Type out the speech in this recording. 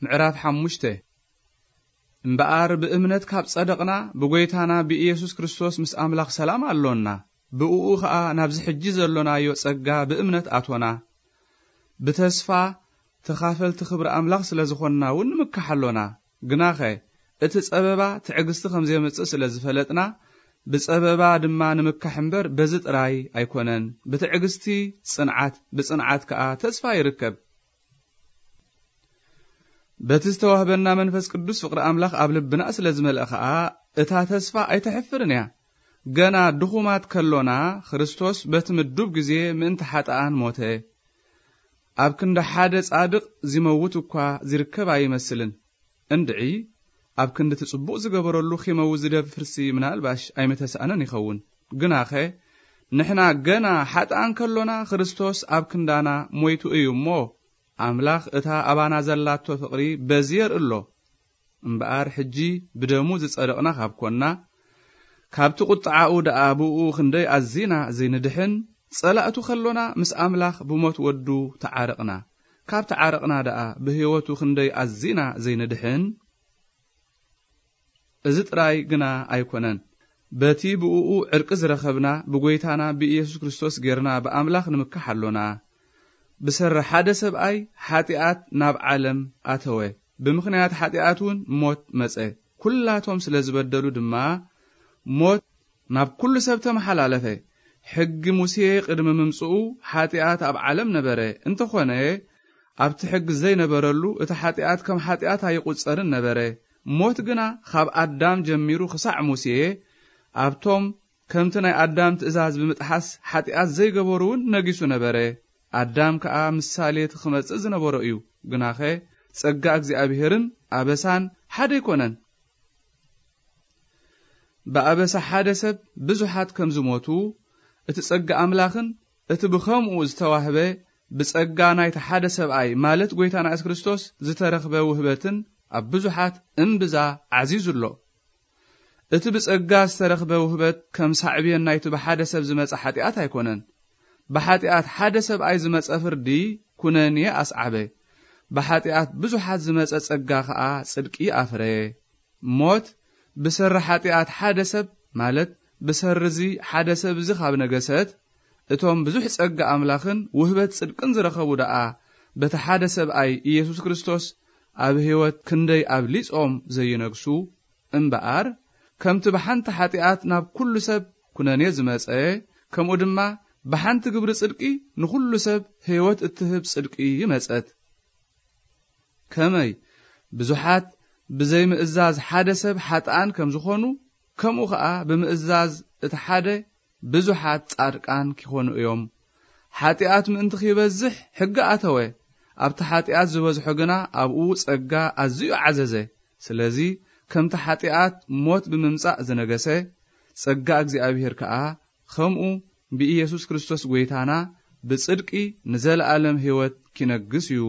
ምዕራፍ ሓሙሽተ። እምበኣር ብእምነት ካብ ጸደቕና፣ ብጎይታና ብኢየሱስ ክርስቶስ ምስ ኣምላኽ ሰላም ኣሎና። ብእኡ ኸኣ ናብዚ ሕጂ ዘሎናዮ ጸጋ ብእምነት ኣቶና። ብተስፋ ተኻፈልቲ ክብሪ ኣምላኽ ስለ ዝኾንና እውን ንምካሕ ኣሎና። ግናኸ እቲ ጸበባ ትዕግስቲ ከም ዜምጽእ ስለ ዝፈለጥና፣ ብጸበባ ድማ ንምካሕ እምበር በዚ ጥራይ ኣይኮነን። ብትዕግስቲ ጽንዓት፣ ብጽንዓት ከኣ ተስፋ ይርከብ። በቲ ዝተዋህበና መንፈስ ቅዱስ ፍቕሪ ኣምላኽ ኣብ ልብና ስለ ዝመልአ ኸኣ፣ እታ ተስፋ ኣይተሕፍርን እያ። ገና ድኹማት ከሎና፣ ክርስቶስ በቲ ምዱብ ግዜ ምእንቲ ሓጥኣን ሞተ። ኣብ ክንዲ ሓደ ጻድቕ ዚመውት እኳ ዚርከብ ኣይመስልን። እንድዒ፣ ኣብ ክንዲ እቲ ጽቡቕ ዝገበረሉ ኺመውት ዝደፍርሲ ምናልባሽ ኣይምተሳእነን ይኸውን። ግናኸ፣ ንሕና ገና ሓጥኣን ከሎና፣ ክርስቶስ ኣብ ክንዳና ሞይቱ እዩ እሞ፣ ኣምላኽ እታ ኣባና ዘላቶ ፍቕሪ በዚ የርኢ ኣሎ። እምበኣር፣ ሕጂ ብደሙ ዝጸደቕና ካብ ኰንና፣ ካብቲ ቁጥዓኡ ደኣ ብእኡ ክንደይ ኣዚና ዘይንድሕን፣ ጸላእቱ ከሎና፣ ምስ ኣምላኽ ብሞት ወዱ ተዓረቕና። ካብ ተዓረቕና ደኣ ብህይወቱ ክንደይ ኣዚና ዘይንድሕን። እዚ ጥራይ ግና ኣይኮነን። በቲ ብእኡ ዕርቂ ዝረኸብና፣ ብጎይታና ብኢየሱስ ክርስቶስ ጌርና ብኣምላኽ ንምካሕ ኣሎና። ብሰሪ ሓደ ሰብኣይ ሓጢኣት ናብ ዓለም ኣተወ። ብምኽንያት ሓጢኣት እውን ሞት መጸ። ኩላቶም ስለ ዝበደሉ ድማ ሞት ናብ ኩሉ ሰብ ተመሓላለፈ። ሕጊ ሙሴ ቅድሚ ምምጽኡ ሓጢኣት ኣብ ዓለም ነበረ። እንተኾነ፣ ኣብቲ ሕጊ ዘይነበረሉ እቲ ሓጢኣት ከም ሓጢኣት ኣይቑጸርን ነበረ። ሞት ግና ካብ ኣዳም ጀሚሩ ክሳዕ ሙሴ ኣብቶም ከምቲ ናይ ኣዳም ትእዛዝ ብምጥሓስ ሓጢኣት ዘይገበሩ እውን ነጊሱ ነበረ። ኣዳም ከኣ ምሳሌ እቲ ክመጽእ ዝነበሮ እዩ። ግናኸ ጸጋ እግዚኣብሄርን ኣበሳን ሓደ ኣይኮነን። ብኣበሳ ሓደ ሰብ ብዙሓት ከም ዝሞቱ፣ እቲ ጸጋ ኣምላኽን እቲ ብኸምኡ ዝተዋህበ ብጸጋ ናይቲ ሓደ ሰብኣይ፣ ማለት ጐይታና የሱስ ክርስቶስ፣ ዝተረኽበ ውህበትን ኣብ ብዙሓት እምብዛ ዓዚዙ ኣሎ። እቲ ብጸጋ ዝተረኽበ ውህበት ከም ሳዕቤን ናይቲ ብሓደ ሰብ ዝመጸ ሓጢኣት ኣይኮነን። ብሓጢኣት ሓደ ሰብኣይ ዝመጸ ፍርዲ ኩነኔ ኣስዓበ። ብሓጢኣት ብዙሓት ዝመጸ ጸጋ ኸኣ ጽድቂ ኣፍረየ። ሞት ብሰሪ ሓጢኣት ሓደ ሰብ፣ ማለት ብሰሪ እዚ ሓደ ሰብ እዚ ካብ ነገሰት፣ እቶም ብዙሕ ጸጋ ኣምላኽን ውህበት ጽድቅን ዝረኸቡ ደኣ በቲ ሓደ ሰብኣይ ኢየሱስ ክርስቶስ ኣብ ህይወት ክንደይ ኣብሊጾም ዘይነግሱ? እምበኣር፣ ከምቲ ብሓንቲ ሓጢኣት ናብ ኩሉ ሰብ ኩነኔ ዝመጸ፣ ከምኡ ድማ ብሓንቲ ግብሪ ጽድቂ ንኹሉ ሰብ ህይወት እትህብ ጽድቂ መጸት። ከመይ ብዙሓት ብዘይምእዛዝ ሓደ ሰብ ሓጥኣን ከም ዝኾኑ፣ ከምኡ ኸኣ ብምእዛዝ እቲ ሓደ ብዙሓት ጻድቃን ኪኾኑ እዮም። ሓጢኣት ምእንቲ ኺበዝሕ ሕጊ ኣተወ፣ ኣብቲ ሓጢኣት ዝበዝሖ ግና ኣብኡ ጸጋ ኣዝዩ ዓዘዘ። ስለዚ ከምቲ ሓጢኣት ሞት ብምምጻእ ዝነገሰ፣ ጸጋ እግዚኣብሄር ከኣ ኸምኡ ብኢየሱስ ክርስቶስ ጐይታና ብጽድቂ ንዘለኣለም ህይወት ኪነግስ እዩ።